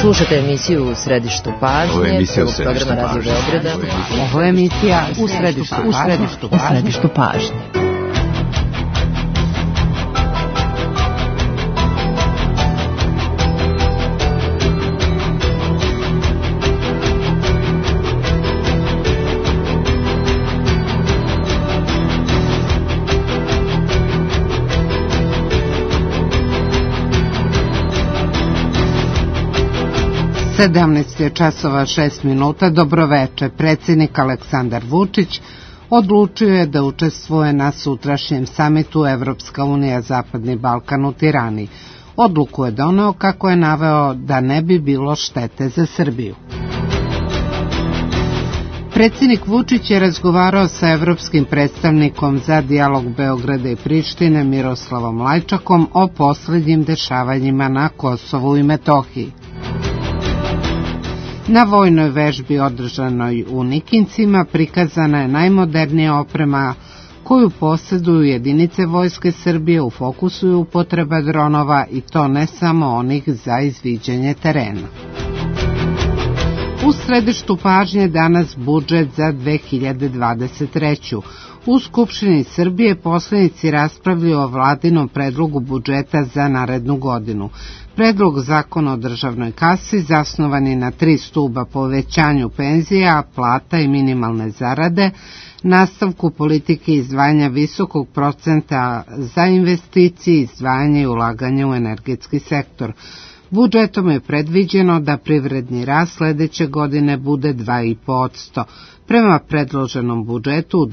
Slušate emisiju U središtu pažnje, prvog programa Radio Beograda. Ovo je emisija U središtu pažnje. Sedamnaest je časova 6 minuta. Dobroveče. Predsjednik Aleksandar Vučić odlučio je da učestvuje na sutrašnjem samitu Evropska unija Zapadni Balkan u Tirani. Odluku je doneo kako je naveo da ne bi bilo štete za Srbiju. Predsjednik Vučić je razgovarao sa evropskim predstavnikom za dijalog Beograda i Prištine Miroslavom Lajčakom o posljednjim dešavanjima na Kosovu i Metohiji. Na vojnoj vežbi održanoj u Nikincima prikazana je najmodernija oprema koju posjeduju jedinice Vojske Srbije. U fokusu je upotreba dronova i to ne samo onih za izviđanje terena. U središtu pažnje danas budžet za 2023. U Skupštini Srbije poslanici raspravljaju o vladinom predlogu budžeta za narednu godinu. Predlog zakona o državnoj kasi zasnovan je na 3 stuba: povećanju penzija, plata i minimalne zarade, nastavku politike izdvajanja visokog procenta za investicije, izdvajanje i ulaganje u energetski sektor. Budžetom je predviđeno da privredni rast sljedeće godine bude 2,5%. Prema predloženom budžetu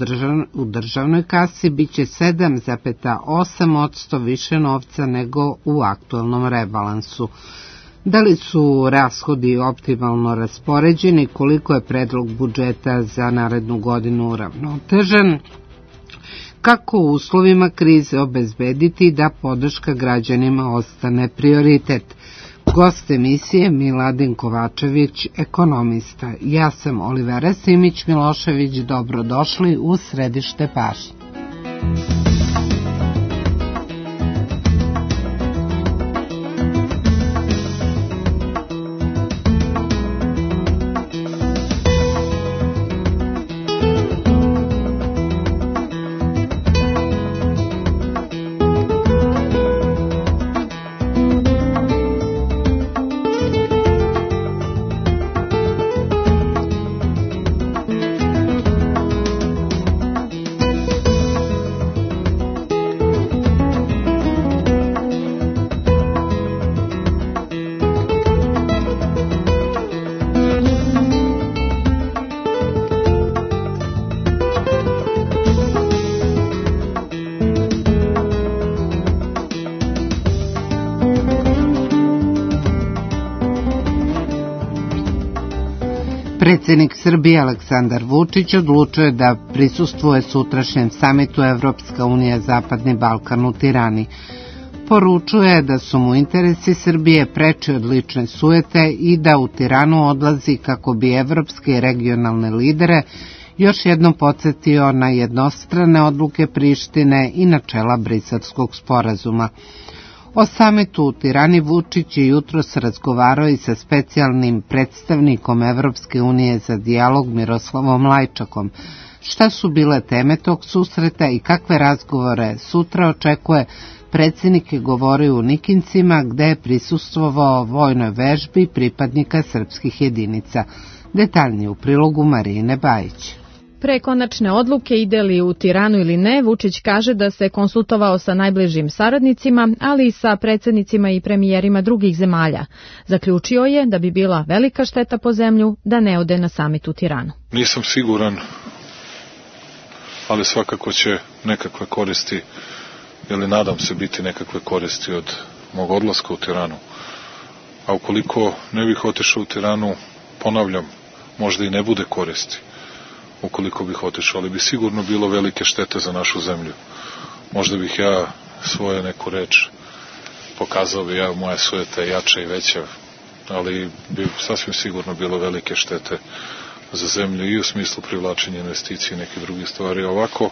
u državnoj kasi biće 7,8% više novca nego u aktualnom rebalansu. Da li su rashodi optimalno raspoređeni, koliko je predlog budžeta za narednu godinu uravnotežen, kako u uslovima krize obezbediti da podrška građanima ostane prioritet. Gost emisije Miladin Kovačević, ekonomista. Ja sam Olivera Simić-Milošević, dobrodošli u središte pažnje. Predsjednik Srbije Aleksandar Vučić odlučio je da prisustvuje sutrašnjem samitu Evropska unija Zapadni Balkan u Tirani. Poručuje da su mu interesi Srbije preči od lične sujete i da u Tiranu odlazi kako bi evropske i regionalne lidere još jednom podsjetio na jednostrane odluke Prištine i načela Briselskog sporazuma. O samitu u Tirani Vučić je jutros razgovarao i sa specijalnim predstavnikom Evropske unije za dijalog Miroslavom Lajčakom. Šta su bile teme tog susreta i kakve razgovore sutra očekuje, predsjednik je govorio u Nikincima gde je prisustvovao vojnoj vežbi pripadnika srpskih jedinica. Detaljnije u prilogu Marine Bajić. Pre konačne odluke ide li u Tiranu ili ne, Vučić kaže da se konsultovao sa najbližim saradnicima, ali i sa predsjednicima i premijerima drugih zemalja. Zaključio je da bi bila velika šteta po zemlju da ne ode na samit u Tiranu. Nisam siguran, ali svakako će nekakve koristi, ili nadam se biti nekakve koristi od mog odlaska u Tiranu. A ukoliko ne bih otišao u Tiranu, ponavljam, možda i ne bude koristi. Ukoliko bih otišao, ali bi sigurno bilo velike štete za našu zemlju. Možda bih ja svoju neku reč pokazao bi moja sujeta je jača i veća, ali bi sasvim sigurno bilo velike štete za zemlju i u smislu privlačenja investicije i neke druge stvari. Ovako,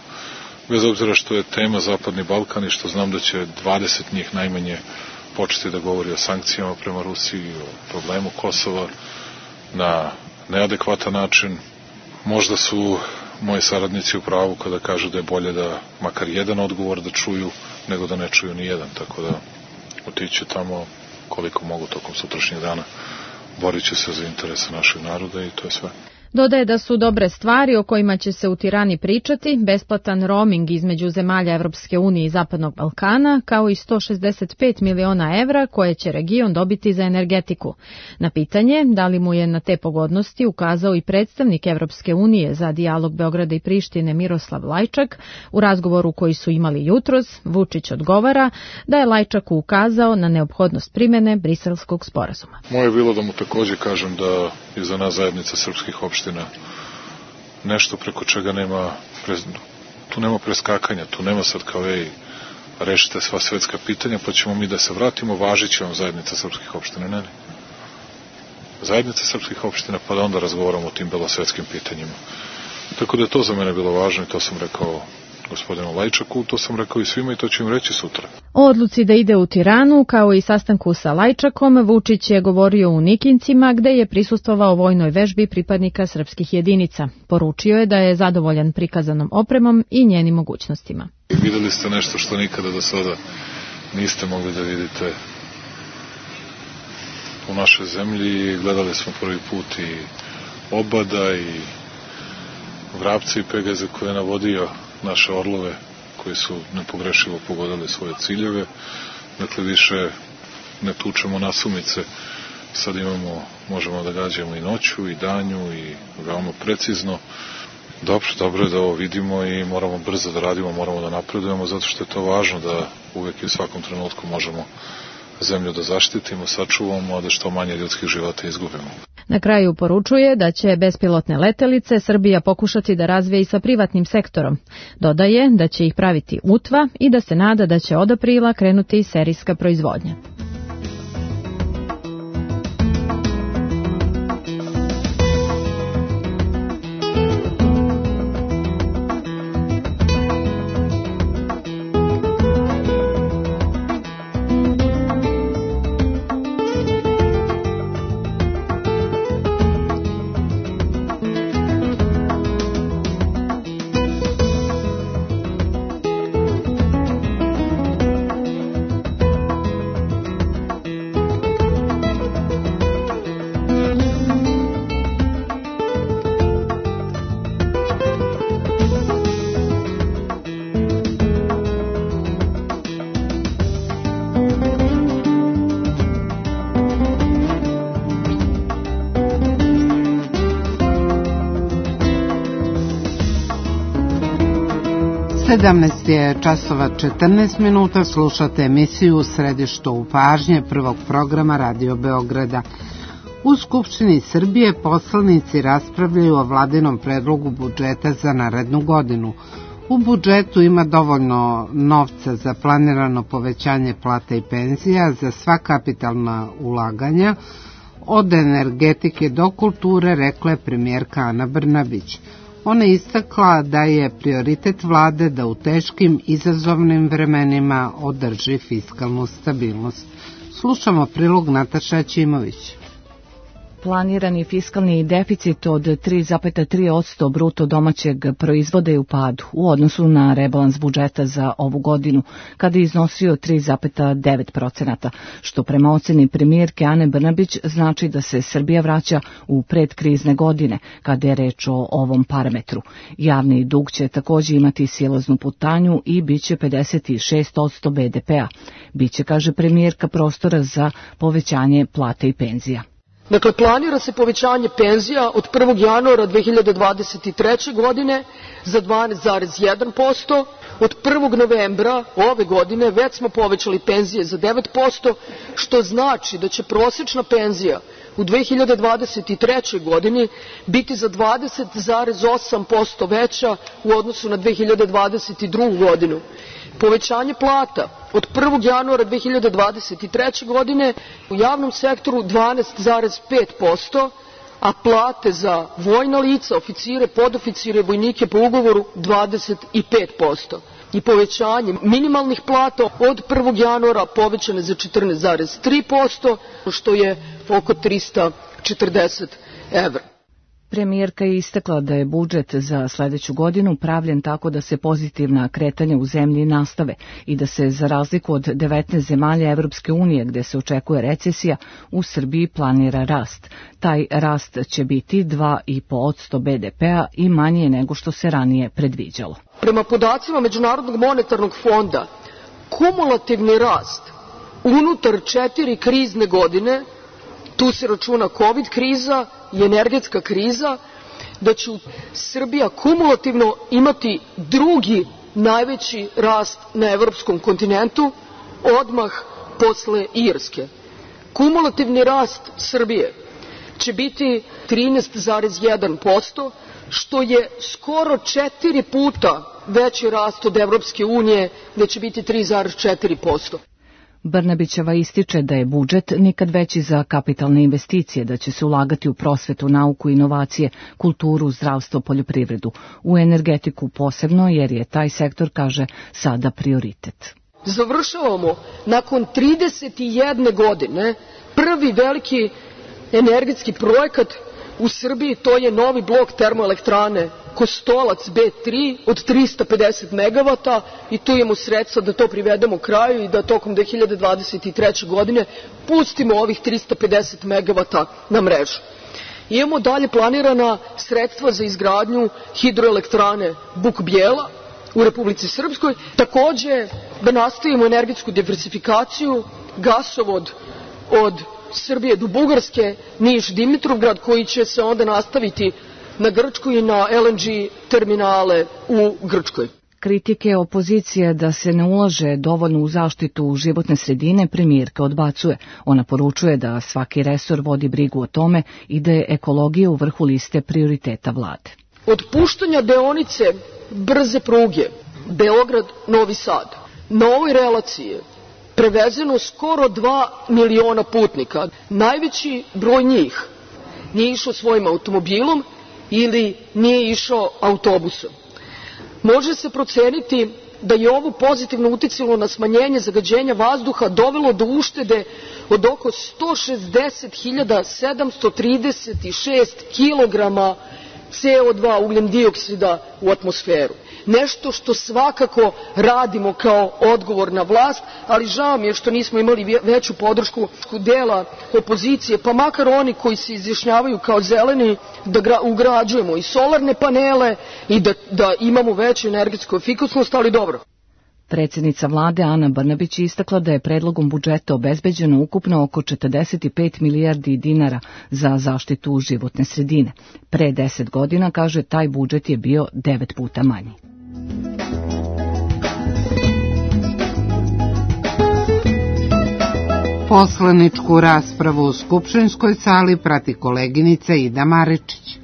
bez obzira što je tema Zapadni Balkan i što znam da će 20 njih najmanje početi da govori o sankcijama prema Rusiji, o problemu Kosova na neadekvatan način. Možda su moji saradnici u pravu kada kažu da je bolje da makar jedan odgovor da čuju, nego da ne čuju ni jedan, tako da otići tamo koliko mogu tokom sutrašnjeg dana, borit će se za interese našeg naroda i to je sve. Dodaje da su dobre stvari o kojima će se u Tirani pričati, besplatan roaming između zemalja Evropske unije i Zapadnog Balkana, kao i 165 miliona evra koje će region dobiti za energetiku. Na pitanje da li mu je na te pogodnosti ukazao i predstavnik Evropske unije za dijalog Beograda i Prištine Miroslav Lajčak, u razgovoru koji su imali jutros, Vučić odgovara da je Lajčaku ukazao na neophodnost primjene Briselskog sporazuma. Moje je bilo da mu takođe kažem da je za nas zajednica srpskih opština nešto preko čega tu nema preskakanja, tu nema sad kao rešite sva svetska pitanja pa ćemo mi da se vratimo, važit će vam zajednica srpskih opština. Ne. Zajednica srpskih opština pa da onda razgovaramo o tim belosvetskim pitanjima. Tako da je to za mene bilo važno i to sam rekao gospodinu Lajčaku, to sam rekao i svima i to ću im reći sutra. O odluci da ide u Tiranu, kao i sastanku sa Lajčakom, Vučić je govorio u Nikincima, gde je prisustvovao vojnoj vežbi pripadnika srpskih jedinica. Poručio je da je zadovoljan prikazanom opremom i njenim mogućnostima. Videli ste nešto što nikada do sada niste mogli da vidite u našoj zemlji. Gledali smo prvi put i Obada i Vrapca i Pegaze koje je navodio naše orlove koji su nepogrešivo pogodili svoje ciljeve. Dakle, više ne tučemo nasumice. Sad možemo da gađamo i noću i danju i veoma precizno. Dobro je da ovo vidimo i moramo brzo da radimo, moramo da napredujemo, zato što je to važno da uvek i u svakom trenutku možemo zemlju da zaštitimo, sačuvamo, a da što manje ljudskih života izgubimo. Na kraju poručuje da će bespilotne letelice Srbija pokušati da razvije i sa privatnim sektorom. Dodaje da će ih praviti UTVA i da se nada da će od aprila krenuti serijska proizvodnja. Je časova 14 minuta, slušate emisiju u središtu pažnje prvog programa Radio Beograda. U Skupštini Srbije poslanici raspravljaju o vladinom predlogu budžeta za narednu godinu. U budžetu ima dovoljno novca za planirano povećanje plata i penzija, za sva kapitalna ulaganja, od energetike do kulture, rekla je premijerka Ana Brnabić. Ona je istakla da je prioritet vlade da u teškim izazovnim vremenima održi fiskalnu stabilnost. Slušamo prilog Nataša Ćimović. Planirani fiskalni deficit od 3,3% bruto domaćeg proizvoda je u padu u odnosu na rebalans budžeta za ovu godinu, kada je iznosio 3,9%, što prema oceni premijerke Ane Brnabić znači da se Srbija vraća u predkrizne godine, kada je reč o ovom parametru. Javni dug će također imati silaznu putanju i bit će 56% BDP-a. Biće, kaže premijerka, prostora za povećanje plata i penzija. Dakle, planira se povećanje penzija od 1. januara 2023. godine za 12,1%. Od 1. novembra ove godine već smo povećali penzije za 9%, što znači da će prosječna penzija u 2023. godini biti za 20,8% veća u odnosu na 2022. godinu. Povećanje plata od 1. januara 2023. godine u javnom sektoru 12,5%, a plate za vojna lica, oficire, podoficire, vojnike po ugovoru 25%. i povećanje minimalnih plata od 1. januara povećane za 14,3%, što je oko 340 evra. Premijerka je istakla da je budžet za sledeću godinu pravljen tako da se pozitivna kretanja u zemlji nastave i da se, za razliku od 19 zemalja Evropske unije gde se očekuje recesija, u Srbiji planira rast. Taj rast će biti 2,5% BDP-a i manje nego što se ranije predviđalo. Prema podacima Međunarodnog monetarnog fonda, kumulativni rast unutar 4 krizne godine, tu se računa COVID kriza i energetska kriza, da će Srbija kumulativno imati drugi najveći rast na evropskom kontinentu, odmah posle Irske. Kumulativni rast Srbije će biti 13,1%, što je skoro 4 puta veći rast od Evropske unije, gde će biti 3,4%. Brnabićeva ističe da je budžet nikad veći za kapitalne investicije, da će se ulagati u prosvetu, nauku, inovacije, kulturu, zdravstvo, poljoprivredu, u energetiku posebno, jer je taj sektor, kaže, sada prioritet. Završavamo nakon 31 godine prvi veliki energetski projekat u Srbiji, to je novi blok termoelektrane Kostolac B3 od 350 megavata i tu imamo sredstva da to privedemo kraju i da tokom 2023. godine pustimo ovih 350 megavata na mrežu. Imamo dalje planirana sredstva za izgradnju hidroelektrane Buk Bijela u Republici Srpskoj, takođe da nastavimo energetsku diversifikaciju, gasovod od Srbije do Bugarske, Niš-Dimitrovgrad, koji će se onda nastaviti na Grčku i na LNG terminale u Grčkoj. Kritike opozicije da se ne ulaže dovoljno u zaštitu životne sredine premijerka odbacuje. Ona poručuje da svaki resor vodi brigu o tome i da je ekologija u vrhu liste prioriteta vlade. Od puštanja deonice brze pruge Beograd-Novi Sad na ovoj relaciji prevezeno skoro 2 miliona putnika. Najveći broj njih nije išao svojim automobilom ili nije išao autobusom. Može se proceniti da je ovo pozitivno uticalo na smanjenje zagađenja vazduha, dovelo do uštede od oko 160.736 kilograma CO2 ugljen dioksida u atmosferu. Nešto što svakako radimo kao odgovorna vlast, ali žao mi je što nismo imali veću podršku dela opozicije, pa makar oni koji se izjašnjavaju kao zeleni, da ugrađujemo i solarne panele i da imamo veću energetsku efikasnost, ali dobro. Predsjednica vlade Ana Brnabić istakla da je predlogom budžeta obezbeđeno ukupno oko 45 milijardi dinara za zaštitu životne sredine. Pre 10 godina, kaže, taj budžet je bio 9 puta manji. Poslaničku raspravu u skupštinskoj sali prati koleginica Ida Maričić.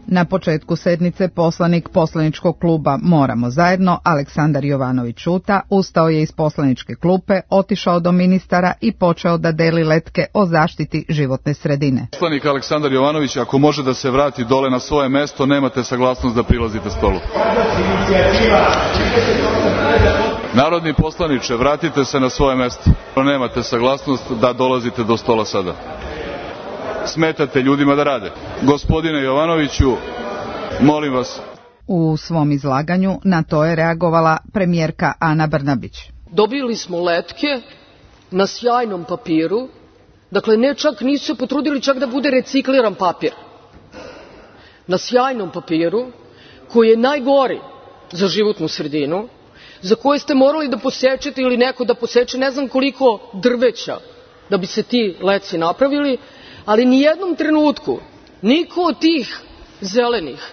Na početku sednice poslanik poslaničkog kluba Moramo zajedno, Aleksandar Jovanović Ćuta, ustao je iz poslaničke klupe, otišao do ministara i počeo da deli letke o zaštiti životne sredine. Poslanik Aleksandar Jovanović, ako može da se vrati dole na svoje mesto, nemate saglasnost da prilazite stolu. Narodni poslaniče, vratite se na svoje mesto. Nemate saglasnost da dolazite do stola sada. Smetate ljudima da rade. Gospodine Jovanoviću, molim vas. U svom izlaganju na to je reagovala premijerka Ana Brnabić. Dobili smo letke na sjajnom papiru, dakle ne čak nisu se potrudili čak da bude recikliran papir. Na sjajnom papiru koji je najgori za životnu sredinu, za koje ste morali da posečete ili neko da poseče ne znam koliko drveća da bi se ti letci napravili, ali nijednom trenutku niko od tih zelenih,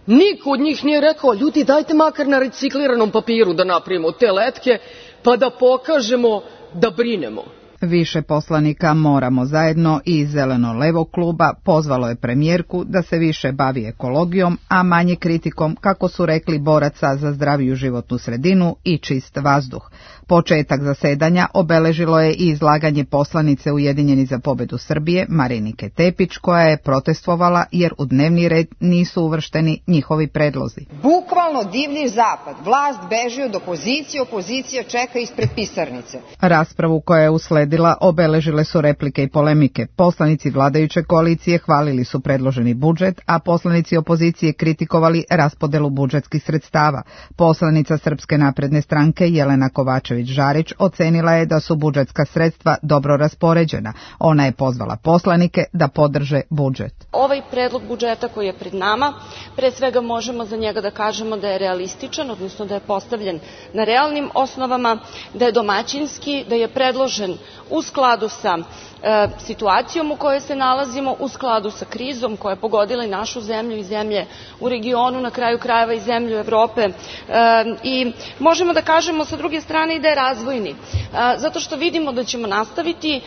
niko od njih nije rekao, ljudi, dajte makar na recikliranom papiru da napravimo te letke pa da pokažemo da brinemo. Više poslanika Moramo zajedno i Zeleno-levog kluba pozvalo je premijerku da se više bavi ekologijom, a manje kritikom, kako su rekli, boraca za zdraviju životnu sredinu i čist vazduh. Početak zasedanja obeležilo je i izlaganje poslanice Ujedinjeni za pobedu Srbije Marinike Tepić, koja je protestvovala jer u dnevni red nisu uvršteni njihovi predlozi. Bukvalno divlji zapad, vlast beži od opozicije, opozicija čeka ispred pisarnice. Raspravu koja je usledila obeležile su replike i polemike. Poslanici vladajuće koalicije hvalili su predloženi budžet, a poslanici opozicije kritikovali raspodelu budžetskih sredstava. Poslanica Srpske napredne stranke Jelena Kovačević-Žarić ocenila je da su budžetska sredstva dobro raspoređena. Ona je pozvala poslanike da podrže budžet. Ovaj predlog budžeta koji je pred nama, pre svega možemo za njega da kažemo da je realističan, odnosno da je postavljen na realnim osnovama, da je domaćinski, da je predložen u skladu sa situacijom u kojoj se nalazimo, u skladu sa krizom koja je pogodila i našu zemlju i zemlje u regionu, na kraju krajeva i zemlju Evrope, i možemo da kažemo sa druge strane i da je razvojni, zato što vidimo da ćemo nastaviti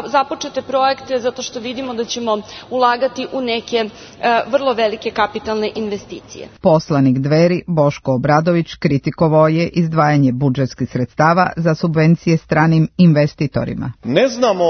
započete projekte, zato što vidimo da ćemo ulagati u neke vrlo velike kapitalne investicije. Poslanik Dveri Boško Obradović kritikovao je izdvajanje budžetskih sredstava za subvencije stranim investitorima. Ne znamo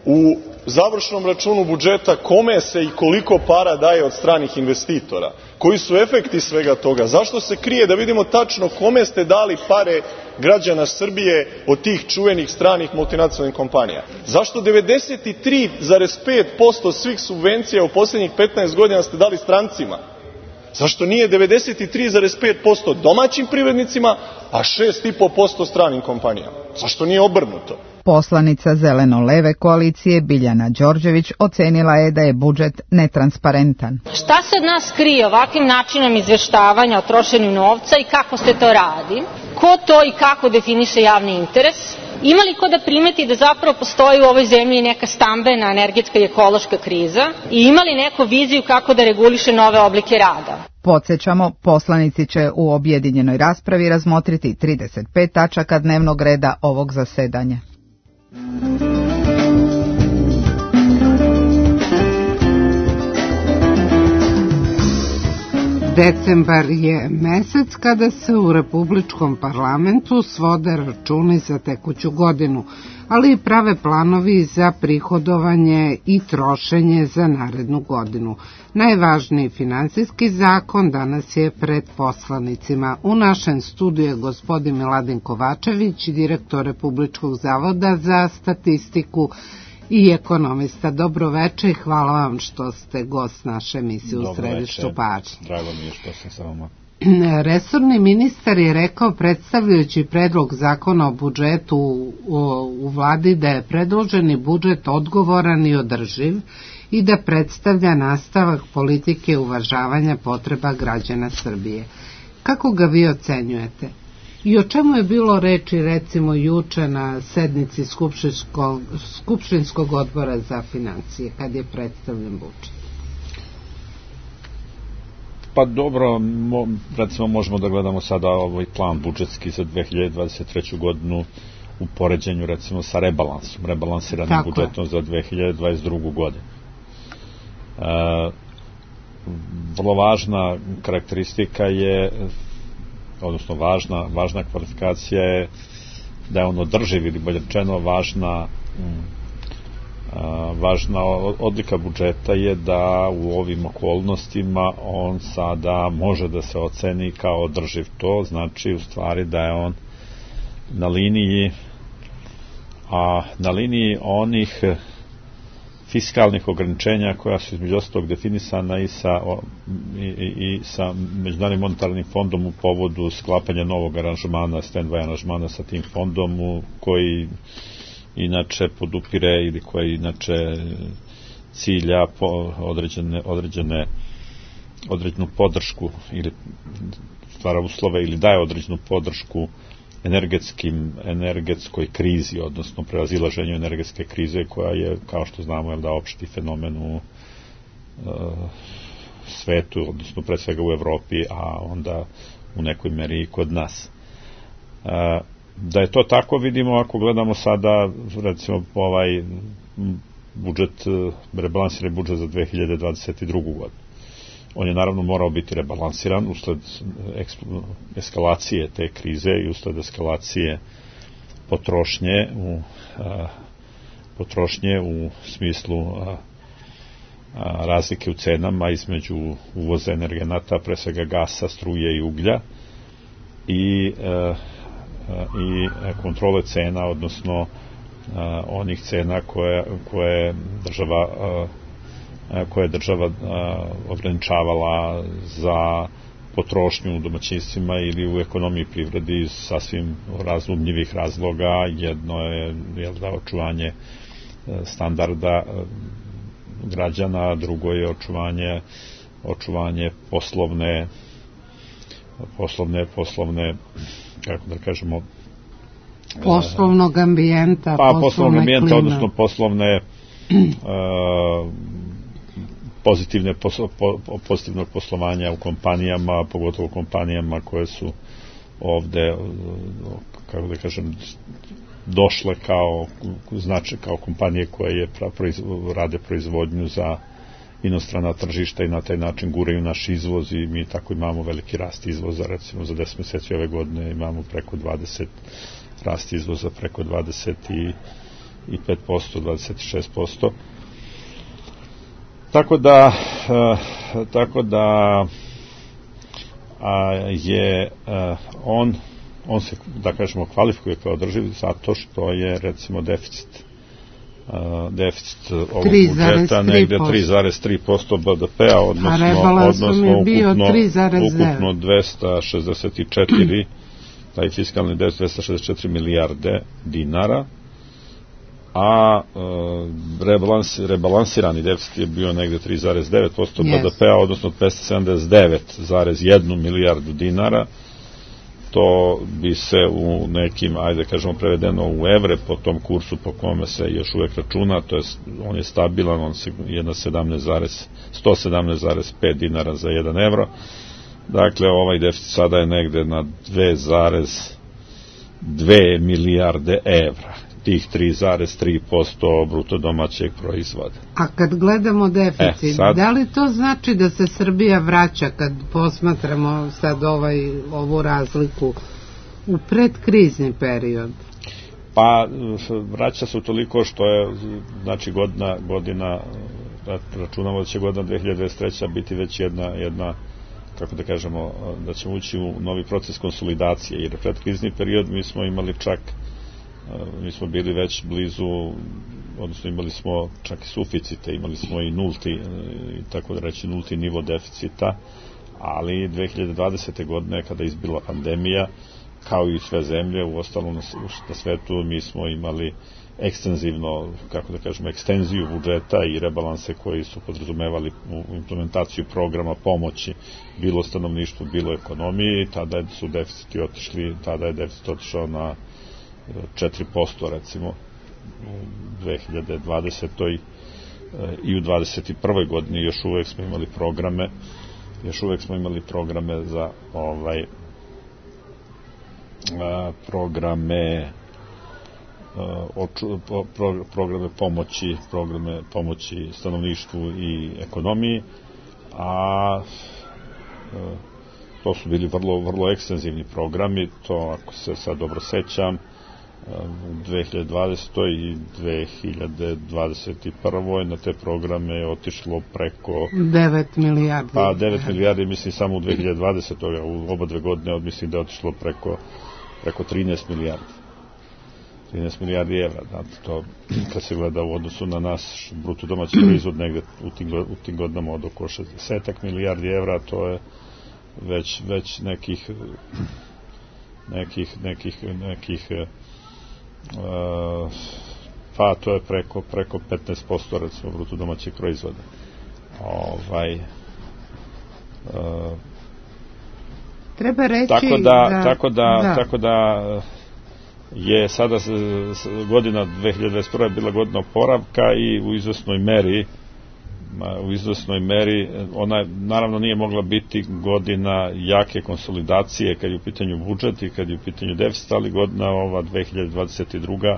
u završnom računu budžeta kome se i koliko para daje od stranih investitora. Koji su efekti svega toga? Zašto se krije da vidimo tačno kome ste dali pare građana Srbije od tih čuvenih stranih multinacionalnih kompanija? Zašto 93,5% svih subvencija u posljednjih 15 godina ste dali strancima? Zašto nije 93,5% domaćim privrednicima, a 6,5% stranim kompanijama? Zašto nije obrnuto? Poslanica Zeleno-leve koalicije Biljana Đorđević ocenila je da je budžet netransparentan. Šta se od nas krije ovakvim načinom izveštavanja o trošenju novca i kako se to radi? Ko to i kako definiše javni interes? Ima li ko da primeti da zapravo postoji u ovoj zemlji neka stambena, energetska i ekološka kriza? I ima li neku viziju kako da reguliše nove oblike rada? Podsjećamo, poslanici će u objedinjenoj raspravi razmotriti 35 tačaka dnevnog reda ovog zasedanja. Decembar je mesec kada se u Republičkom parlamentu svode računi za tekuću godinu, ali i prave planovi za prihodovanje i trošenje za narednu godinu. Najvažniji finansijski zakon danas je pred poslanicima. U našem studiju je gospodin Miladin Kovačević, direktor Republičkog zavoda za statistiku i ekonomista. Dobro večer i hvala vam što ste gost naše emisije u središtu pažnje. Drago mi je što sam sa vama. Resorni ministar je rekao, predstavljajući predlog zakona o budžetu u vladi, da je predloženi budžet odgovoran i održiv i da predstavlja nastavak politike uvažavanja potreba građana Srbije. Kako ga vi ocenjujete? I o čemu je bilo reči recimo juče na sednici Skupštinskog odbora za financije kad je predstavljen budžet? Pa dobro, recimo možemo da gledamo sada ovaj plan budžetski za 2023. godinu u poređenju recimo sa rebalansiranim budžetom za 2022. godinu. Vrlo važna karakteristika je, odnosno važna kvalifikacija je da je on održiv, ili bolje rečeno važna odlika budžeta je da u ovim okolnostima on sada može da se oceni kao održiv. To znači u stvari da je on na liniji onih fiskalnih ograničenja koja su između ostalog definisana i sa Međunarodnim monetarnim fondom u povodu sklapanja novog aranžmana, stand-by aranžmana sa tim fondom koji inače podupire ili koji inače cilja određenu podršku ili stvara uslove ili daje određenu podršku energetskoj krizi, odnosno prevazilaženju energetske krize koja je, kao što znamo, opšti fenomen u svetu, odnosno pre svega u Evropi, a onda u nekoj meri i kod nas. Da je to tako vidimo ako gledamo sada recimo ovaj budžet, rebalansirani budžet za 2022. godinu. On je naravno morao biti rebalansiran usled eskalacije te krize i usled eskalacije potrošnje u smislu razlike u cenama između uvoza energenata, pre svega gasa, struje i uglja i kontrole cena, odnosno onih cena koje država ograničavala za potrošnju u domaćinstvima ili u ekonomiji privredi iz sasvim razumljivih razloga. Jedno je očuvanje standarda građana, drugo je očuvanje poslovne kako da kažemo poslovnog ambijenta, poslovnog ambijenta, odnosno poslovne pozitivnog poslovanja u kompanijama, pogotovo kompanijama koje su ovde, kako da kažem, došle kao kompanije koje rade proizvodnju za inostrana tržišta i na taj način guraju naš izvoz i mi tako imamo veliki rast izvoza, recimo za 10 meseci ove godine imamo preko 20 rast izvoza, preko 25%, 26%. Tako da je on se, da kažemo, kvalifikuje kao održiv zato što je recimo deficit ovog budžeta negde 3,3% BDP-a, odnosno ukupno 264, taj fiskalni deficit 264 milijarde dinara, a rebalansirani deficit je bio negde 3,9% BDP-a, odnosno 279,1 milijardu dinara. To bi se u nekim, ajde kažemo prevedeno u evre, po tom kursu po kome se još uvek računa, to je, on je stabilan, on je na 117,5 dinara za 1 evro. Dakle, ovaj deficit sada je negde na 2,2 milijarde evra, tih 3,3% bruto domaćeg proizvoda. A kad gledamo deficit, da li to znači da se Srbija vraća, kad posmatramo sad ovu razliku, u predkrizni period? Pa, vraća se toliko što je, znači, godina, računamo da će godina 2023. biti već jedna, kako da kažemo, da ćemo ući u novi proces konsolidacije, jer predkrizni period mi smo imali mi smo bili već blizu, odnosno imali smo čak i suficite, imali smo i tako da reći nulti nivo deficita, ali 2020. godine kada je izbila pandemija, kao i sve zemlje, u ostalom na svetu, mi smo imali ekstenzivno, kako da kažemo, ekstenziju budžeta i rebalanse koji su podrazumevali implementaciju programa pomoći bilo stanovništvu, bilo ekonomiji. Tada su deficiti otišli, tada je deficit otišao na 4%, recimo u 2020. i u 2021. godini još uvek smo imali programe za programe pomoći stanovništvu i ekonomiji, a to su bili vrlo ekstenzivni programi. To, ako se sad dobro sećam, u 2020. i 2021. na te programe je otišlo preko 9 milijardi. Pa 9 milijardi, mislim, samo u 2020. U oba dve godine mislim da je otišlo preko 13 milijardi. 13 milijardi evra. Znači, to kad se gleda u odnosu na naš bruto domaći proizvod negde u tim godinama od oko 60 milijardi evra, to je već nekih pa to je preko 15% recimo bruto domaćeg proizvoda. Treba reći tako da je sada godina 2021. bila godina oporavka i u izvesnoj meri u izvesnoj meri. Ona naravno nije mogla biti godina jake konsolidacije kad je u pitanju budžet i kad je u pitanju deficit, ali godina ova 2022.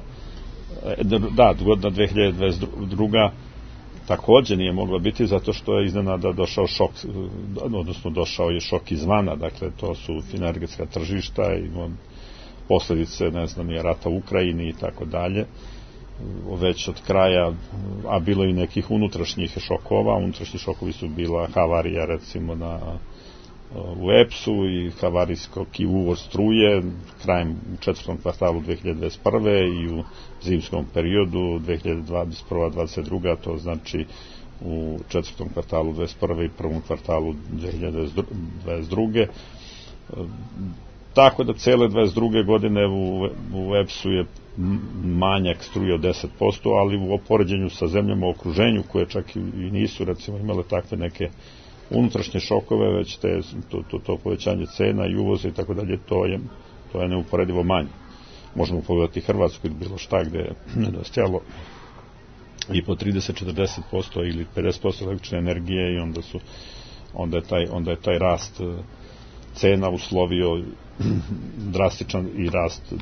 Godina 2022. takođe nije mogla biti zato što je iznenada došao šok, odnosno došao je šok izvana, dakle to su energetska tržišta i posledice, ne znam, rata u Ukrajini i tako dalje, već od kraja, a bilo i nekih unutrašnjih šokova. Unutrašnji šokovi su bila havarija recimo u EPS-u i havarijski uvoz struje krajem u četvrtom kvartalu 2021. i u zimskom periodu 2021-2022. To znači u četvrtom kvartalu 2021. i prvom kvartalu 2022. Tako da cele 22. godine u EPS-u je manjak struje od 10%, ali u opoređenju sa zemljama u okruženju, koje čak i nisu recimo imale takve neke unutrašnje šokove, već to povećanje cena i uvoza i tako dalje, to je neuporedivo manje. Možemo pogledati Hrvatsku ili bilo šta gde je nedostajalo i po 30-40% ili 50% električne energije i onda je taj rast cena uslovio drastičan rast,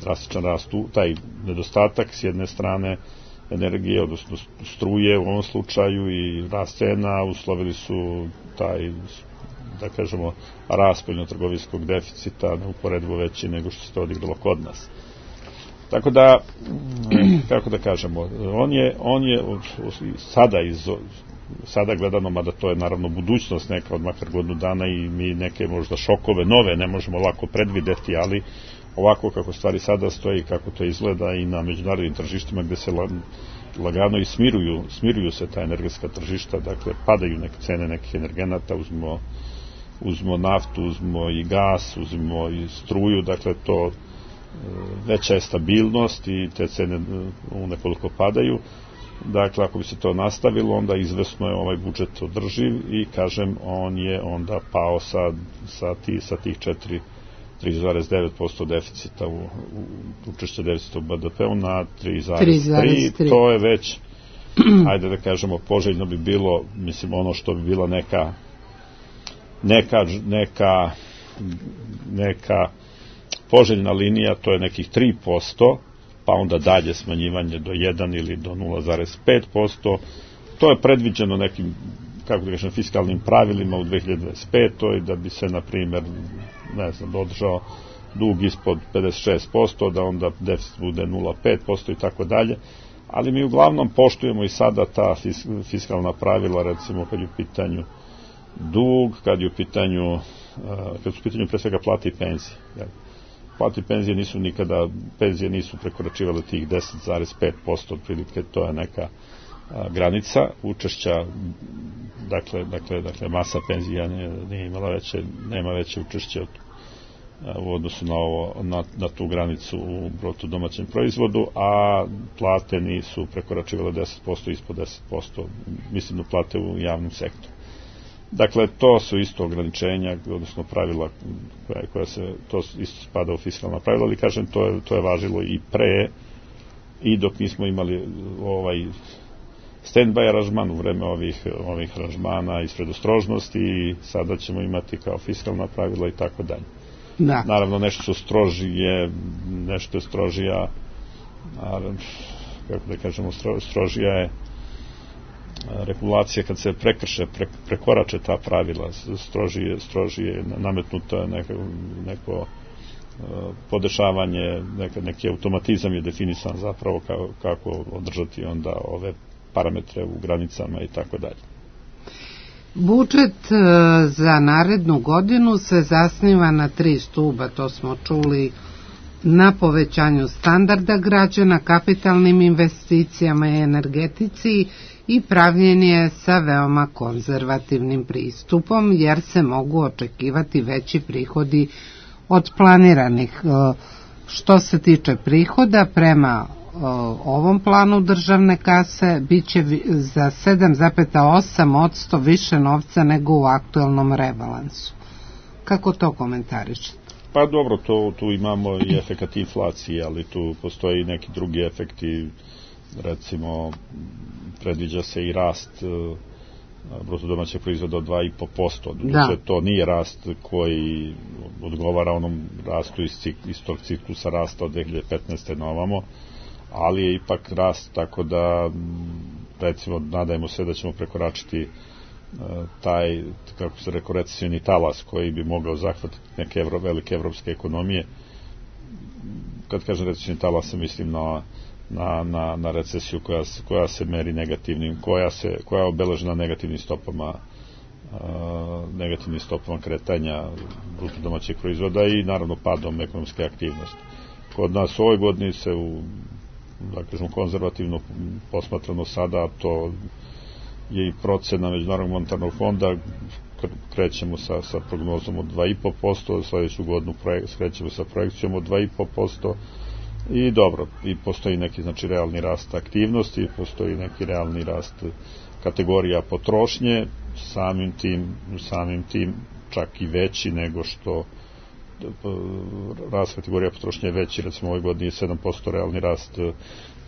taj nedostatak s jedne strane energije, odnosno struje u ovom slučaju, i rast cena uslovili su taj, da kažemo, rast spoljnotrgovinskog deficita neuporedivo veći nego što se to odigralo kod nas. Tako da, kako da kažemo, on je sada gledano, mada to je naravno budućnost neka od makar godinu dana i mi neke možda šokove nove ne možemo lako predvideti, ali ovako kako stvari sada stoji, kako to izgleda i na međunarodnim tržištima gde se lagano i smiruju se ta energetska tržišta, dakle padaju neke cene nekih energenata, uzmemo naftu, uzmemo i gas, uzmemo i struju, dakle to veća je stabilnost i te cene nekoliko padaju. Dakle, ako bi se to nastavilo, onda izvesno je ovaj budžet održiv i, kažem, on je onda pao sa tih 3,9% deficita učešća deficita u BDP-u na 3,3%. To je već, ajde da kažemo, poželjno bi bilo, mislim, ono što bi bila neka poželjna linija, to je nekih 3%, pa onda dalje smanjivanje do 1 ili do 0,5%. To je predviđeno nekim, kako da kažem, fiskalnim pravilima u 2025. da bi se, na primjer, održao dug ispod 56%, da onda deficit bude 0,5% i tako dalje. Ali mi uglavnom poštujemo i sada ta fiskalna pravila, recimo kad je u pitanju dug, kad su u pitanju pre svega plate i penzije. Plate i penzije nisu prekoračivale tih 10,5%, otprilike to je neka granica učešća, dakle masa penzija nema veće učešće u odnosu na tu granicu u bruto domaćem proizvodu, a plate nisu prekoračivale 10%, ispod 10%, mislim na plate u javnom sektoru. Dakle, to su isto ograničenja, odnosno pravila koja to isto spada u fiskalna pravila, ali kažem, to je važilo i pre, i dok nismo imali stand-by aranžman u vreme ovih aranžmana iz predostrožnosti, i sada ćemo imati kao fiskalna pravila i tako dalje. Naravno, nešto su strožije, nešto je strožija, kako da kažemo, strožija je regulacija kad se prekorače ta pravila, strožije nametnuto neko podešavanje, neki automatizam je definisan zapravo kako održati onda ove parametre u granicama i tako dalje. Budžet za narednu godinu se zasniva na 3 stuba, to smo čuli, na povećanju standarda građana, kapitalnim investicijama i energetici, i pravljenje sa veoma konzervativnim pristupom, jer se mogu očekivati veći prihodi od planiranih. Što se tiče prihoda, prema ovom planu državne kase biće za 7,8% više novca nego u aktuelnom rebalansu. Kako to komentarišete? Pa dobro, tu imamo i efekat inflacije, ali tu postoji neki drugi efekti, recimo predviđa se i rast bruto domaćeg proizvoda od 2,5%. To nije rast koji odgovara onom rastu iz tog ciklusa rasta od 2015. na ovamo, ali je ipak rast, tako da recimo nadajmo se da ćemo prekoračiti taj, kako se rekao, recesioni talas koji bi mogao zahvatiti neke velike evropske ekonomije. Kad kažem recesioni talas, mislim na recesiju koja se meri negativnim, koja je obeležena negativnim stopama kretanja bruto domaćeg proizvoda i naravno padom ekonomske aktivnosti. Kod nas u ovoj godini se da kažem konzervativno posmatrano sada, to je i procena Međunarodnog monetarnog fonda, krećemo sa prognozom od 2,5%, sledeću godinu krećemo sa projekcijom od 2,5%, i dobro, i postoji neki realni rast aktivnosti, postoji neki realni rast kategorija potrošnje, samim tim čak i veći nego što rast kategorija potrošnje je veći, recimo ove godine je 7%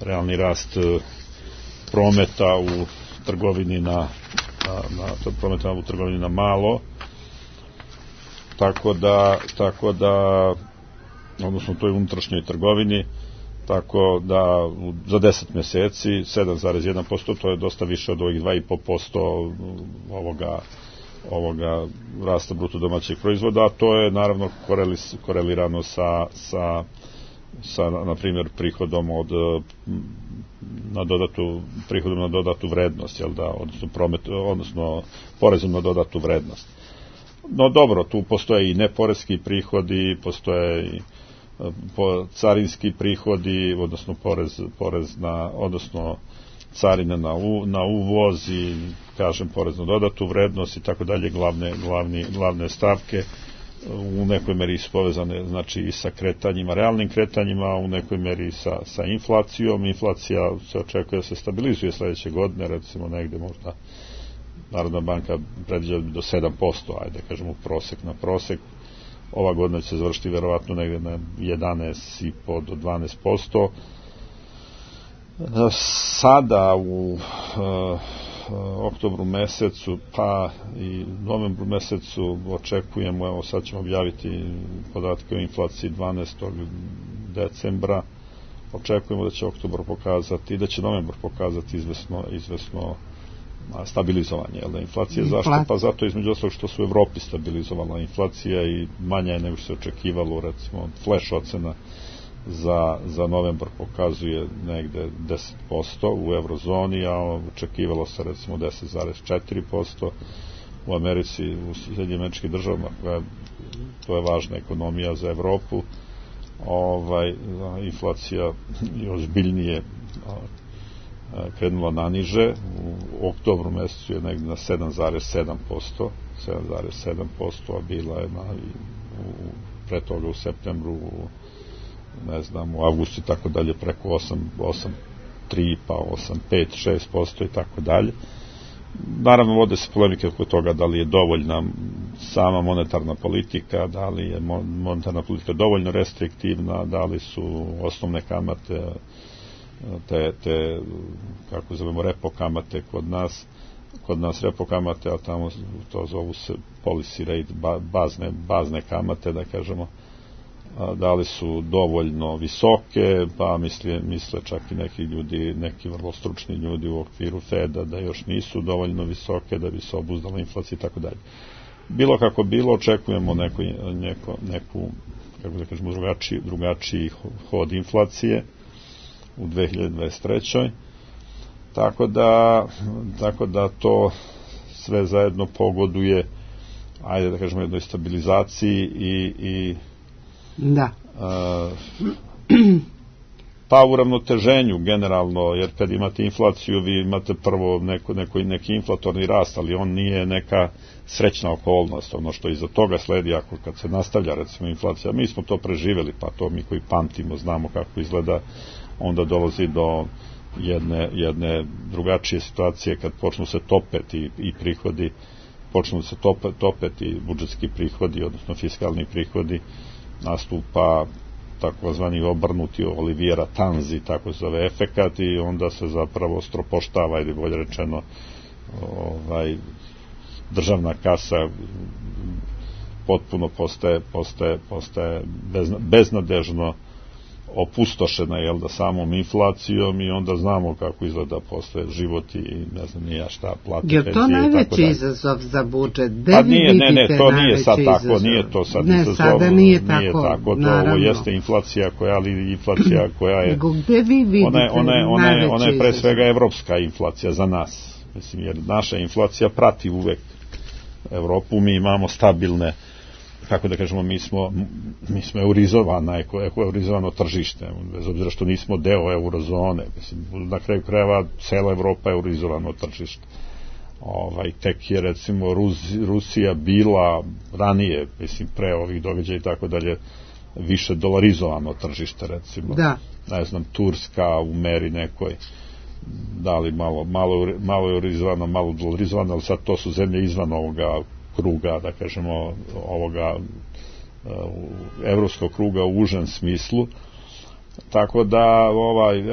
realni rast prometa u trgovini na malo, tako da odnosno u toj unutrašnjoj trgovini, tako da za 10 meseci 7,1%, to je dosta više od ovih 2,5% ovoga rasta bruto domaćeg proizvoda, a to je naravno korelirano sa na primjer prihodom na dodatu vrednost, jel da, odnosno porezom na dodatu vrednost. No dobro, tu postoje i neporeski prihodi, postoje i carinski prihodi, odnosno porez na, odnosno carina na uvoz i, kažem, porez na dodatu vrednost i tako dalje, glavne stavke u nekoj meri su povezane, znači, i sa kretanjima, realnim kretanjima, u nekoj meri sa inflacijom. Inflacija se očekuje da se stabilizuje sledeće godine, recimo negde možda Narodna banka predviđa do 7%, ajde kažemo prosek na prosek. Ova godina će se završiti verovatno negde na 11,5 do 12%. Sada u oktobru mesecu pa i novembru mesecu očekujemo, evo sad ćemo objaviti podatke o inflaciji 12. decembra, očekujemo da će oktobar pokazati i da će novembar pokazati izvesno stabilizovanje, jel da, inflacije. Zašto? Pa zato između ostalog što su u Evropi stabilizovala inflacija i manja je nego što se očekivalo, recimo flash ocena za novembar pokazuje negde 10% u eurozoni, a očekivalo se recimo 10,4%. U Americi, u Sjedinjenim Američkim Državama, to je važna ekonomija za Evropu, inflacija je ozbiljnije krenula naniže. U oktobru mesecu je negde na 7,7%, a bila je pre toga u septembru, u avgustu i tako dalje, preko 8,3, pa 8,5, 6% i tako dalje. Naravno, vode se polemike oko toga da li je dovoljna sama monetarna politika, da li je monetarna politika dovoljno restriktivna, da li su osnovne kamate, te kako zovemo, repo kamate kod nas repo kamate, a tamo to zovu se policy rate, bazne kamate, da kažemo, da li su dovoljno visoke, pa misle čak i neki vrlo stručni ljudi u okviru Feda da još nisu dovoljno visoke da bi se obuzdala inflacija i tako dalje. Bilo kako bilo, očekujemo neku kako da kažemo, drugačiji hod inflacije u 2023. Tako da to sve zajedno pogoduje, ajde da kažemo, jednoj stabilizaciji i da. Pa uravnoteženju generalno, jer kad imate inflaciju vi imate prvo neki inflatorni rast, ali on nije neka srećna okolnost, ono što iza toga sledi kad se nastavlja recimo inflacija. Mi smo to preživeli, pa to mi koji pamtimo znamo kako izgleda, onda dolazi do jedne drugačije situacije kad počnu se topeti i prihodi, počnu se topeti budžetski prihodi, odnosno fiskalni prihodi, nastupa takozvani obrnuti Olivera Tanzi, tako se zove efekat, i onda se zapravo stropoštava, ili bolje rečeno državna kasa potpuno postaje beznadežno opustošena samom inflacijom i onda znamo kako izgleda posle život i ne znam ni ja šta, plate, penzije i tako dalje. Je to najveći izazov za budžet? Pa nije, to nije sad tako, nije to sad izazov. Ne, sada nije tako, naravno. Ovo jeste inflacija koja je... Gde vi vidite najveći izazov? Ona je pre svega evropska inflacija za nas. Mislim, jer naša inflacija prati uvek Evropu, mi imamo stabilne, kako da kažemo, mi smo eurizovano tržište, bez obzira što nismo deo eurozone. Mislim, na kraju krajeva cela Evropa je eurizovano tržište. Tek je recimo Rusija bila ranije, mislim, pre ovih događaja i tako dalje, više dolarizovano tržište, recimo. Da. Ne znam, Turska u meri nekoj, da li malo eurizovano, malo dolarizovano, ali sad to su zemlje izvan ovoga kruga, da kažemo, ovoga evropskog kruga u užem smislu, tako da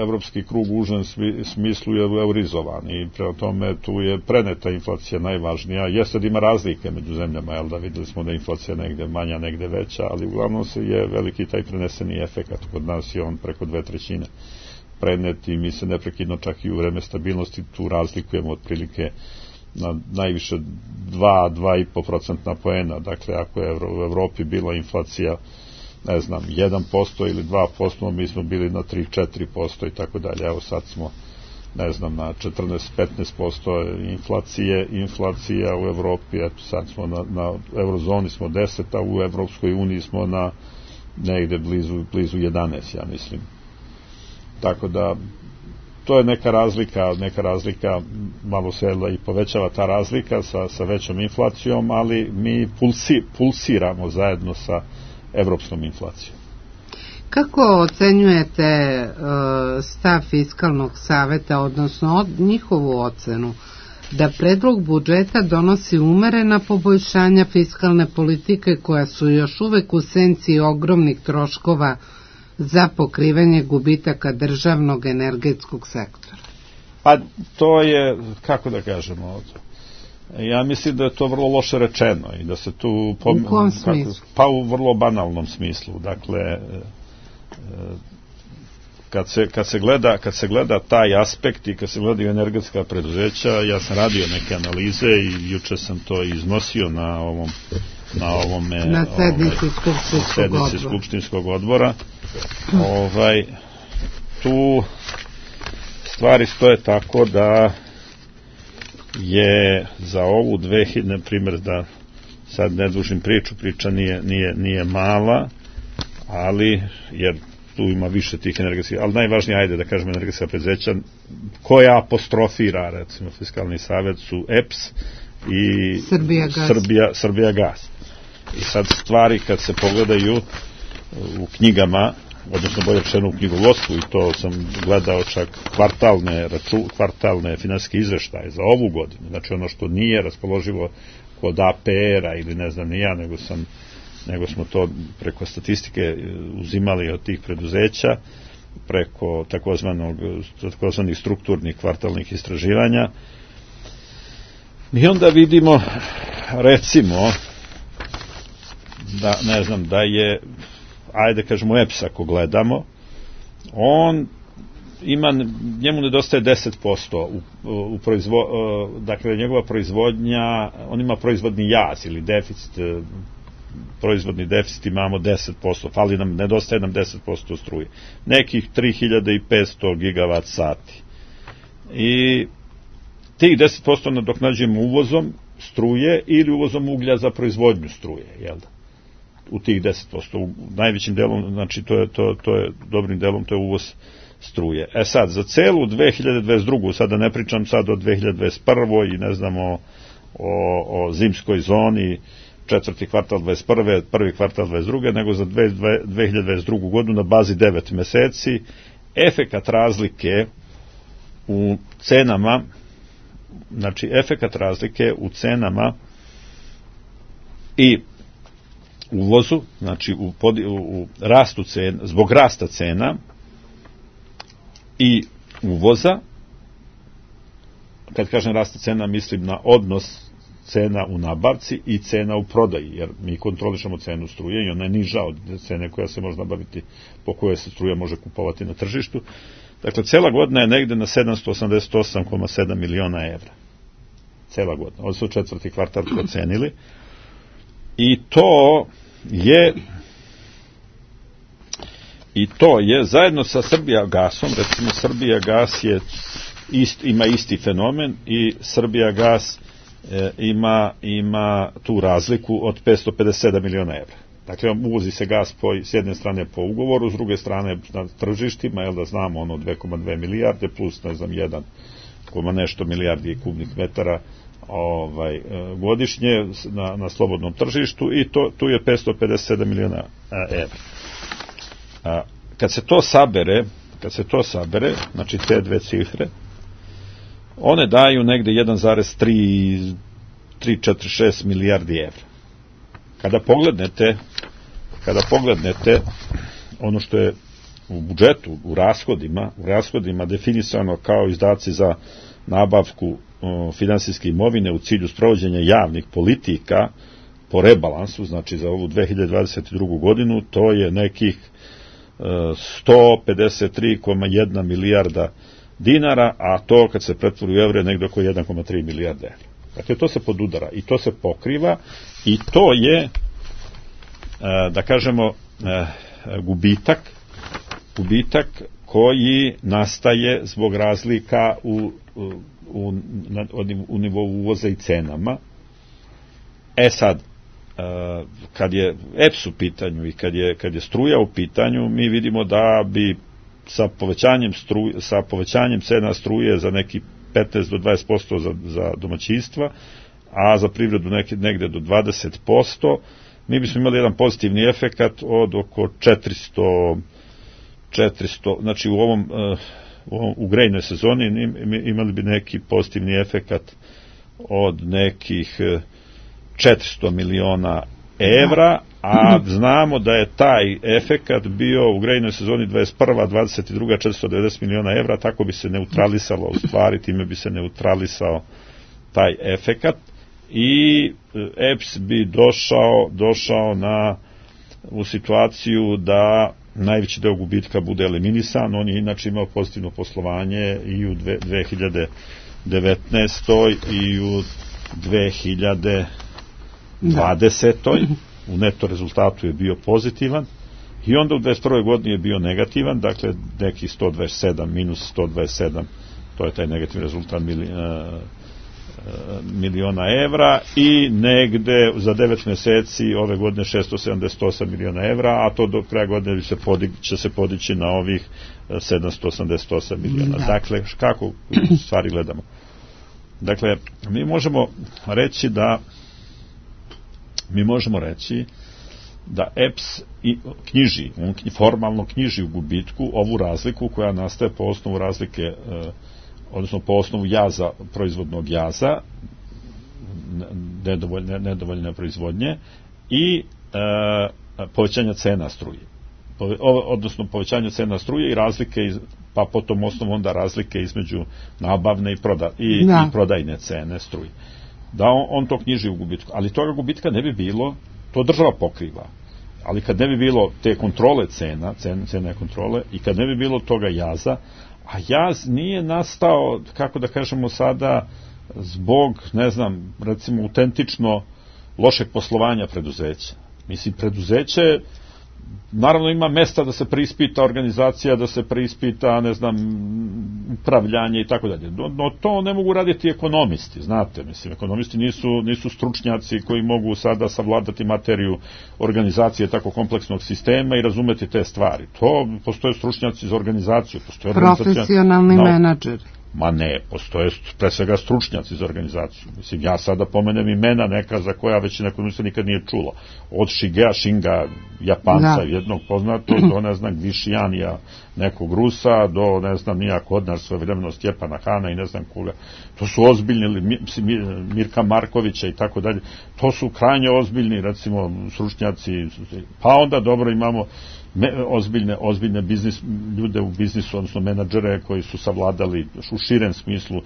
evropski krug u užem smislu je eurizovan i prema tome tu je preneta inflacija najvažnija. Jeste da ima razlike među zemljama, da videli smo da je inflacija negde manja, negde veća, ali uglavnom se je veliki taj preneseni efekat. Kod nas je on preko 2/3 prenet i mi se neprekidno čak i u vreme stabilnosti tu razlikujemo otprilike na najviše 2,5% poena. Dakle, ako je u Evropi bila inflacija, ne znam, 1% ili 2%, mi smo bili na 3-4% i tako dalje. Evo sad smo, ne znam, na 14-15% inflacija u Evropi, eto sad smo na eurozoni smo 10, a u Evropskoj uniji smo na negde blizu 11, ja mislim. Tako da to je neka razlika, malo se i povećava ta razlika sa većom inflacijom, ali mi pulsiramo zajedno sa evropskom inflacijom. Kako ocenjujete stav Fiskalnog saveta, odnosno njihovu ocenu, da predlog budžeta donosi umerena poboljšanja fiskalne politike koja su još uvek u senci ogromnih troškova za pokrivanje gubitaka državnog energetskog sektora? Pa to je, kako da kažemo, ja mislim da je to vrlo loše rečeno i da se tu... U kom smislu? Pa u vrlo banalnom smislu. Dakle, kad se gleda taj aspekt i kad se gledaju energetska preduzeća, ja sam radio neke analize i juče sam to iznosio na sednici Skupštinskog odbora. Tu stvari stoje tako da je za ovu 2000, na primjer, da sad ne dužim priča nije mala, ali, jer tu ima više tih energetskih, ali najvažnije, ajde da kažemo, energetska preduzeća koja apostrofira, recimo, Fiskalni savet su EPS i Srbijagas. I sad stvari kad se pogledaju u knjigama, odnosno bolje rečeno u knjigovodstvu, i to sam gledao čak kvartalne finansijske izveštaje za ovu godinu, znači ono što nije raspoloživo kod APR-a ili ne znam ni ja, nego smo to preko statistike uzimali od tih preduzeća, preko takozvanih strukturnih kvartalnih istraživanja. I onda vidimo, recimo, da, ne znam, da je, ajde kažemo EPS ako gledamo, on ima, njemu nedostaje 10% dakle njegova proizvodnja, on ima proizvodni jaz ili deficit, proizvodni deficit imamo 10%, fali nam, nedostaje nam 10% struje, nekih 3500 gigavat sati i tih 10% nadoknađujemo uvozom struje ili uvozom uglja za proizvodnju struje, jel da? U tih 10%, u najvećim delom, znači to je dobrim delom, to je uvoz struje. E sad, za celu 2022. sada ne pričam sad o 2021. i ne znamo o zimskoj zoni, četvrti kvartal 21. prvi kvartal 22. nego za 2022. godinu na bazi 9 meseci, efekat razlike u cenama, znači efekat razlike u cenama i uvozu, znači u rastu cena, zbog rasta cena i uvoza kad kažem raste cena, mislim na odnos cena u nabavci i cena u prodaji, jer mi kontrolišemo cenu struje i ona je niža od cene koja se može nabaviti, po kojoj se struja može kupovati na tržištu. Dakle, cela godina je negde na 788,7 miliona evra. Cela godina. Ovo su četvrti kvartal procenili. I to je zajedno sa Srbijagasom, recimo Srbijagas ima isti fenomen i Srbijagas ima tu razliku od 557 miliona evra. Dakle, uvozi se gas s jedne strane po ugovoru, s druge strane na tržištima, jel da znamo 2,2 milijarde plus, ne znam, 1, nešto milijardi kubnih metara godišnje na slobodnom tržištu i tu je 557 miliona evra. Kad se to sabere, znači te dve cifre, one daju negde 1,346 milijardi evra. Kada poglednete ono što je u budžetu, u rashodima definisano kao izdaci za nabavku finansijske imovine u cilju sprovođenja javnih politika po rebalansu, znači za ovu 2022. godinu, to je nekih 153,1 milijarda dinara, a to kad se pretvori u evre negde oko 1,3 milijarde evra. Dakle, to se podudara i to se pokriva i to je, da kažemo, gubitak koji nastaje zbog razlika u nivou uvoza i cenama. Sad, kad je EPS u pitanju i kad je struja u pitanju, mi vidimo da bi sa povećanjem cena struje za neki 15 do 20% za domaćinstva, a za privredu negde do 20%, mi bismo imali jedan pozitivni efekat od oko 400, znači u grejnoj sezoni imali bi neki pozitivni efekat od nekih 400 miliona evra, a znamo da je taj efekat bio u grejnoj sezoni 21. 22. 490 miliona evra, tako bi se neutralisalo, u stvari time bi se neutralisao taj efekat i EPS bi došao u situaciju da najveći deo gubitka bude eliminisan. On je inače imao pozitivno poslovanje i u 2019. i u 2020. U neto rezultatu je bio pozitivan i onda u 2021. godini je bio negativan, dakle neki 127 minus 127, to je taj negativni rezultat miliona evra i negde za 9 meseci ove godine 678 miliona evra, a to do kraja godine će se podići na ovih 788 miliona. Dakle, kako stvari gledamo? Dakle, mi možemo reći da EPS formalno knjiži u gubitku ovu razliku koja nastaje po osnovu razlike, odnosno po osnovu jaza, proizvodnog jaza, nedovoljne proizvodnje i povećanja cena struje. Odnosno povećanja cena struje i razlike, pa po tom osnovu onda razlike između nabavne i prodajne cene struje. Da on to knjiži u gubitku, ali toga gubitka ne bi bilo, to država pokriva, ali kad ne bi bilo te kontrole cene kontrole i kad ne bi bilo toga jaza, a jaz nije nastao, kako da kažemo sada, zbog, ne znam, recimo autentično lošeg poslovanja preduzeća. Mislim, preduzeće naravno ima mesta da se preispita organizacija, da se preispita, ne znam, upravljanje i tako dalje. No to ne mogu raditi ekonomisti, znate, mislim, ekonomisti nisu stručnjaci koji mogu sada savladati materiju organizacije tako kompleksnog sistema i razumeti te stvari. To postoje stručnjaci za organizaciju, postoje profesionalni menadžeri. Ma ne, postoje pre svega stručnjaci za organizaciju. Mislim, ja sada pomenem imena neka za koja većina ekonomista nikad nije čula. Od Shigea Shinga, Japanca, jednog poznatog, do, ne znam, Gvishijanija, nekog Rusa do, ne znam, nija kod nas svojevremeno Stjepana Hana i ne znam koga. To su ozbiljni, Mirka Markovića i tako dalje. To su krajnje ozbiljni, recimo, stručnjaci. Pa onda dobro imamo ozbiljne ljude u biznisu, odnosno menadžere koji su savladali u širem smislu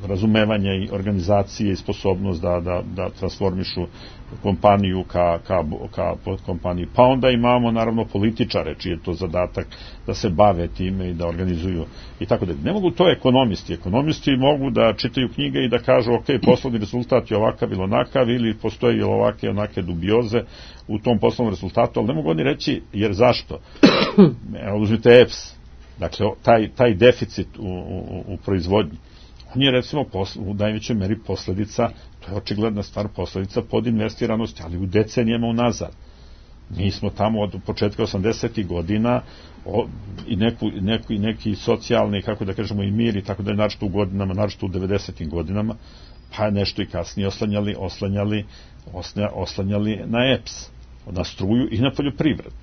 razumevanja i organizacije i sposobnost da transformišu kompaniju ka podkompaniju. Pa onda imamo naravno političare, čiji je to zadatak da se bave time i da organizuju i tako dalje. Ne mogu to ekonomisti. Ekonomisti mogu da čitaju knjige i da kažu ok, poslovni rezultat je ovakav ili onakav, ili postoji ovake onake dubioze u tom poslovnom rezultatu, ali ne mogu oni reći jer zašto. Uzmite EPS, dakle taj deficit u proizvodnji, on je recimo u najvećoj meri posledica, to je očigledna stvar, posledica podinvestiranosti, ali u decenijama unazad. Mi smo tamo od početka 80. godina i neki socijalni, kako da kažemo, i mir i tako da je naročito u godinama, naročito u 90. godinama, pa nešto i kasnije oslanjali na EPS, na struju i na poljoprivredu.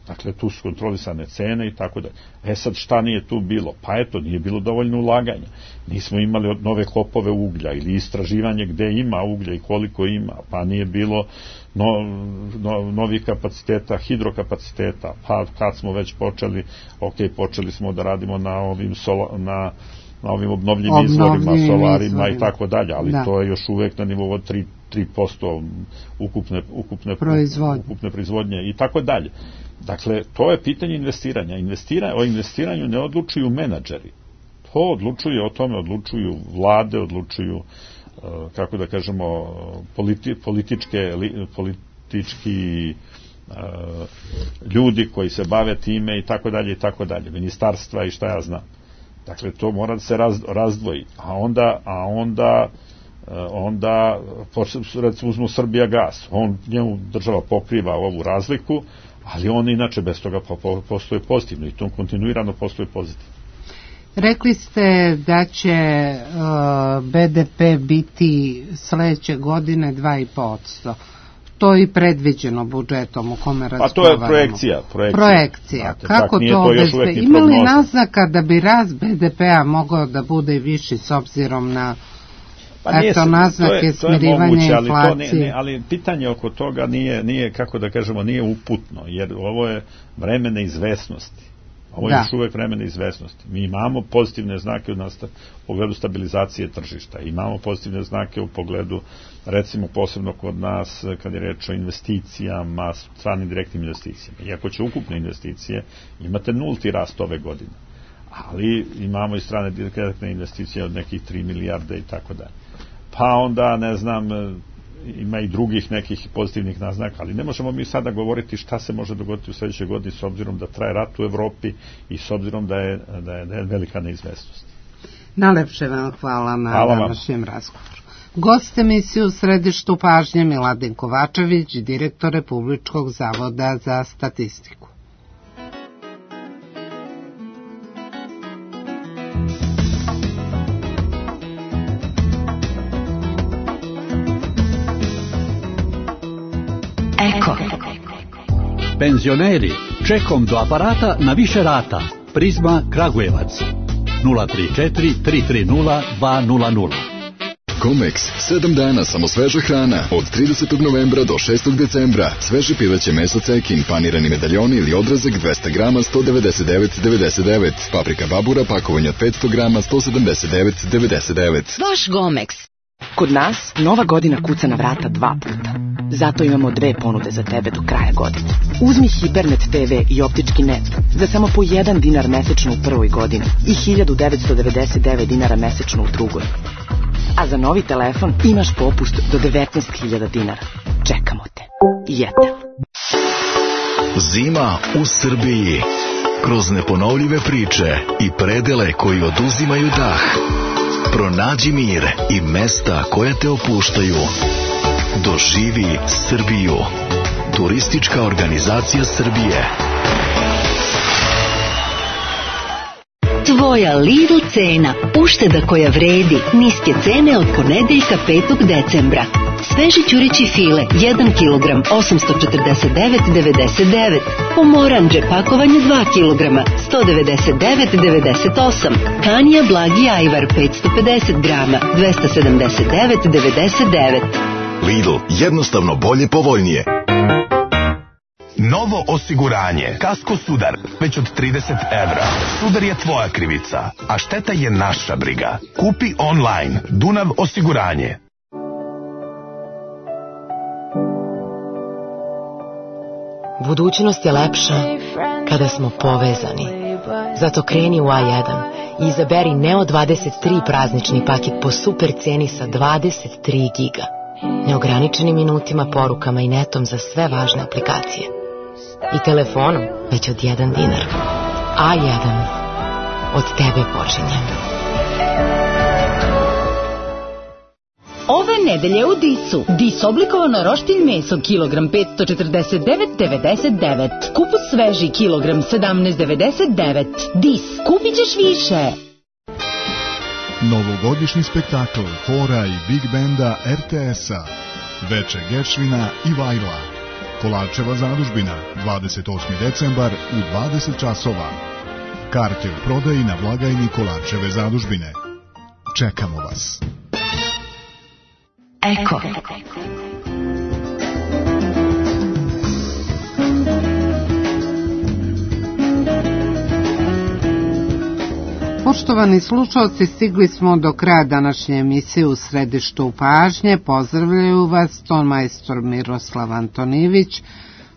Dakle, tu su kontrolisane cene i tako da. Sad, šta nije tu bilo? Pa eto, nije bilo dovoljno ulaganja. Nismo imali nove klopove uglja ili istraživanje gde ima uglja i koliko ima, pa nije bilo novih kapaciteta, hidrokapaciteta, pa kad smo već počeli, počeli smo da radimo na ovim obnovljivim izvorima, solarima i tako dalje, ali to je još uvek na nivou od 3% ukupne proizvodnje i tako dalje. Dakle, to je pitanje investiranja. O investiranju ne odlučuju menadžeri. O tome odlučuju vlade, odlučuju, kako da kažemo, politički ljudi koji se bave time i tako dalje, ministarstva i šta ja znam. Dakle, to mora da se razdvoji. A onda recimo uzmu Srbijagas, njemu država pokriva ovu razliku, ali on inače bez toga postoje pozitivno i to kontinuirano postoje pozitivno. Rekli ste da će BDP biti sledeće godine 2,5%. To je i predviđeno budžetom u kome razgovaramo. Pa to je projekcija. Kako to obezbe? Ima li naznaka da bi rast BDP-a mogao da bude i viši s obzirom na naznake smirivanja inflacije? Ali pitanje oko toga nije, kako da kažemo, nije uputno, jer ovo je vreme neizvesnosti. Ovo je još uvek vreme neizvesnosti. Mi imamo pozitivne znake u pogledu stabilizacije tržišta, imamo pozitivne znake u pogledu, recimo posebno kod nas, kad je reč o investicijama, stranim direktnim investicijama. Iako će ukupne investicije, imate nulti rast ove godine. Ali imamo i strane direktne investicije od nekih 3 milijarde i tako dalje. Pa onda, ne znam, ima i drugih nekih pozitivnih naznaka, ali ne možemo mi sada govoriti šta se može dogoditi u sledećoj godini s obzirom da traje rat u Evropi i s obzirom da je velika neizvesnost. Najlepše vam hvala na današnjem razgovoru. Gost emisiju u središtu pažnje Miladin Kovačević, direktor Republičkog zavoda za statistiku. Penzioneri, čekom do aparata na više rata. Prizma Kragujevac 034 330 200. Comex, 7 dana samo sveža hrana, od 30. novembra do 6. decembra. Sveže pileće meso cekin, panirani medaljoni ili odrezak 200 grama 199,99. Paprika babura, pakovanje 500 grama 179,99. Vaš Gomex. Kod nas nova godina kuca na vrata 2 puta. Zato imamo 2 ponude za tebe do kraja godine. Uzmi Hipernet TV i optički net za samo po 1 dinar mesečno u prvoj godini i 1999 dinara mesečno u drugoj. A za novi telefon imaš popust do 19.000 dinara. Čekamo te. Jetel. Zima u Srbiji. Kroz neponovljive priče i predele koji oduzimaju dah. Pronađi mir i mesta koja te opuštaju. Doživi Srbiju. Turistička organizacija Srbije. Tvoja Lidl cena. Ušteda koja vredi. Niske cene od ponedeljka 5. decembra. Sveži ćurići file 1 kg 849,99. Pomoranđe pakovanje 2 kg 199,98. Kanija blagi ajvar 550 grama 279,99. Lidl, jednostavno bolje, povoljnije. Novo osiguranje. Kasko Sudar. Već od 30 evra. Sudar je tvoja krivica, a šteta je naša briga. Kupi online. Dunav osiguranje. Budućnost je lepša kada smo povezani. Zato kreni u A1 i izaberi Neo 23 praznični paket po super ceni sa 23 giga. Neograničenim minutima, porukama i netom za sve važne aplikacije. I telefonom već od 1 dinar. A1. Od tebe počinje. Ove nedelje u Disu. Dis oblikovano roštilj meso kilogram 549,99. Kupus sveži kilogram 17,99. Dis. Kupit ćeš više. Novogodišnji spektakl hora i big benda RTS-a. Veče Geršvina i Vajla. Kolarčeva zadužbina, 28. decembar u 20 časova. Karte u prodaji na blagajni Kolarčeve zadužbine. Čekamo vas. Eko. Poštovani slušalci, stigli smo do kraja današnje emisije U središtu pažnje. Pozdravljaju vas ton majstor Miroslav Antonijević,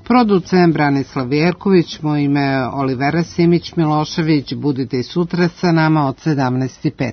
producent Branislav Jerković, moje ime je Olivera Simić-Milošević. Budite i sutra sa nama od 17:05.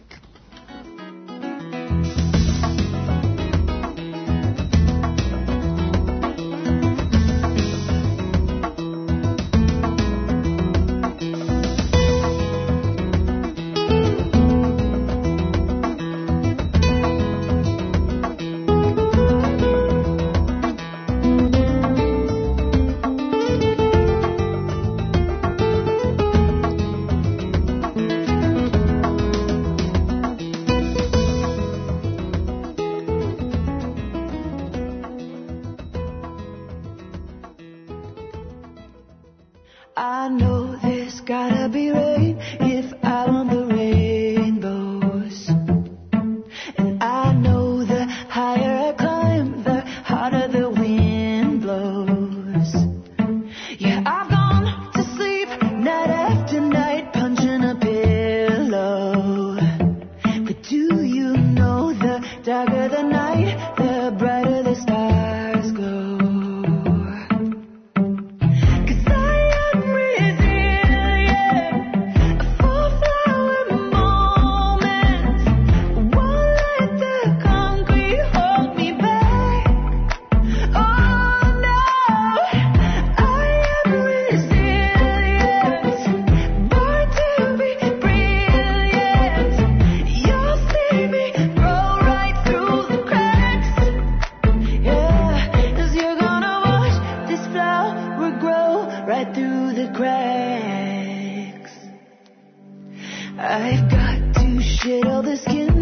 I know there's gotta be rain if I want the rainbows. And I know the higher I climb, the harder the wind blows. Yeah, I've gone to sleep night after night, punching a pillow. But do you know the darker the night, the brighter the stars glow? I've got to shed all the skin